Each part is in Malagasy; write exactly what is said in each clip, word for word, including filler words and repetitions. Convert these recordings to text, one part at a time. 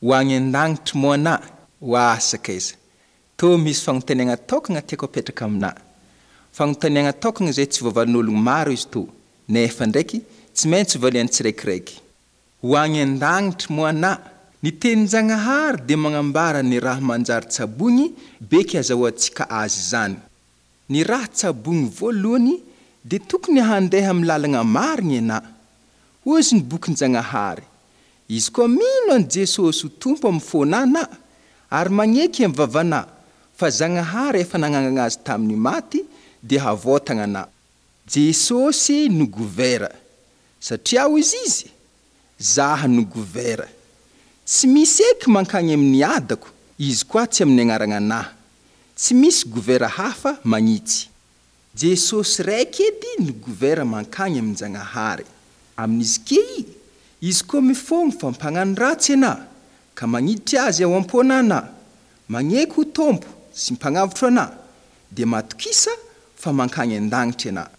Ho agny an-dagnitry moa anà? Oa sakaiza! Tô misy fagnontaniagna tokagna tiako apetraka aminà. Fagnontaniagna tokagna izay tsy voavalin'ologno maro izy tô, nefa ndraiky tsy maintsy valian'ny tsiraikiraiky. Ho agny an-dagnitry moa anà? Ny tenin-Jagnahary dia magnambara ny raha manjary tsaboigny beky azahoantsika azy zany. Ny raha tsaboigny voalohany dia tokony handeha amin'ny lalagna marigny anà. Hoy izy ny bokin-Jagnahary: Izy koa mino an'i Jesosy ho Tompo amin'ny fônà anà, ary magneky amin'ny vavanà fa Zagnahary efa nagnangana azy tamin'ny maty, dia havôtagna anà. Jesosy no govera, satria hoy izy izy, Zaho no govera. Tsy misy eky mankagny amin'ny adako, izy koa tsy amin'ny agnarana anà. Tsy misy govera hafa magnitsy. Jesosy raiky edy no govera mankagny amin-Jagnahary. Amin'izy ke i, izy koa mifôgno fa mpagnano ratsy anà, ka magniditry azy ao am-pônà anà, magneky ho Tompo sy mpagnavotro anà, dia matokisa fa mankagny an-dagnitry anà.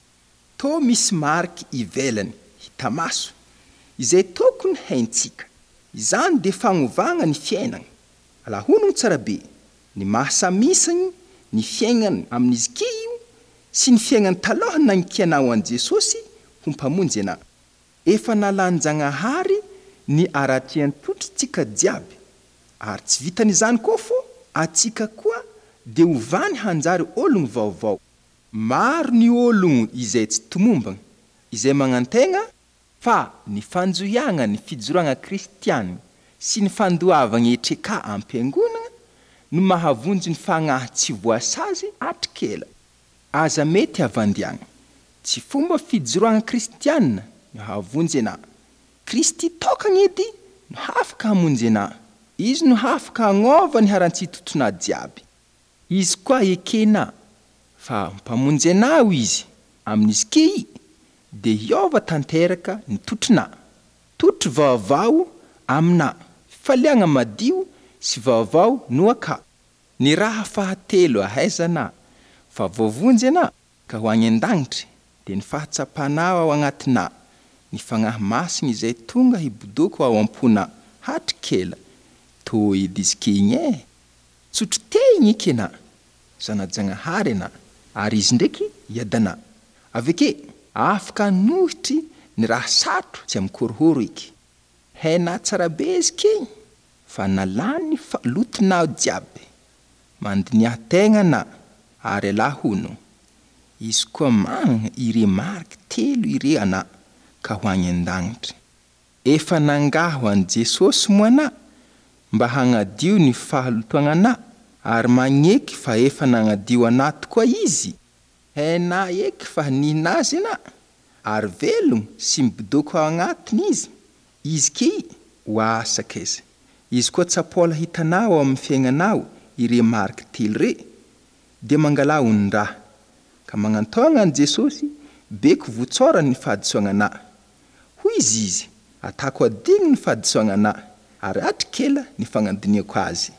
Tô misy mariky ivelany, hita maso, izay tokony haintsika. Izany dia fagnovagna ny fiainana. Alahonogno tsara be, ny mahasamisagny ny fiainana amin'izy ke io sy ny fiainana taloha nankianao an'i Jesosy ho mpamonjy anà. Efa nalan-Jagnahary ny aratrian-totritsika jiaby, ary tsy vitan'izany koa fô atsika koa dia hovany hanjary ologno vaovao. Maro ny ologno izay tsy tomombagna, izay magnantegna fa ny fanjohiagna ny fijoroagna kristiana sy ny fandoavagna etreka am-piangonana no mahavonjy ny fagnahy tsy voasazy hatrikela. Aza mety havandiagna. Tsy fomba fijoroagna kristiana no hahavonjy anà. Kristy tokagna edy no afaka hamonjy anà. Izy no afaka hagnova ny haran-tsitotonà jiaby. Izy koa ekena fa mpamonjy anao izy. Amin'izy ke i, dia hiova tanteraka ny totronà. Totro vaovao aminà. Fifaliagna madio sy vaovao no aka. Ny raha fahatelo ahaizana fa voavonjy anà ka ho agny an-dagnitry dia ny fahatsapanao ao agnatinà, ny fagnahy masina izay tonga hibodoko ao am-ponà hatrikela. Tô edy izy ke igny e! Tsotro te igny eky anà, zana-Jagnahary anà, ary izy ndraiky iadanà. Avy ake, afaka hanohitry ny raha sarotro tsy amikôrôhôro eky. Hainà tsara be izy ke igny, fa nalany ny fahalotonao jiaby. Mandiniha tegna anà, ary alahono. Izy koa manana ire mariky telo ire anà ka ho agny an-dagnitry. Efa nangaho an'i Jesosy moa anà mba hagnadio ny fahalotoagna anà, ary magneky fa efa nagnadio anà tokoa izy. Hainà eky fa nihina azy anà, ary velogno sy mibodoko ao agnatiny izy. Izy ke i, oa sakaiza. Izy koa tsapola hitanao ao amin'ny fiaignanao ire mariky telo re, dia mangalà onon-draha. Ka magnantôgna an'i Jesosy, beko votsorany ny fahadisoagna anà. Hoy izy izy, atako adigno ny fahadisoagna anà, ary hatrikela ny fagnadiniako azy.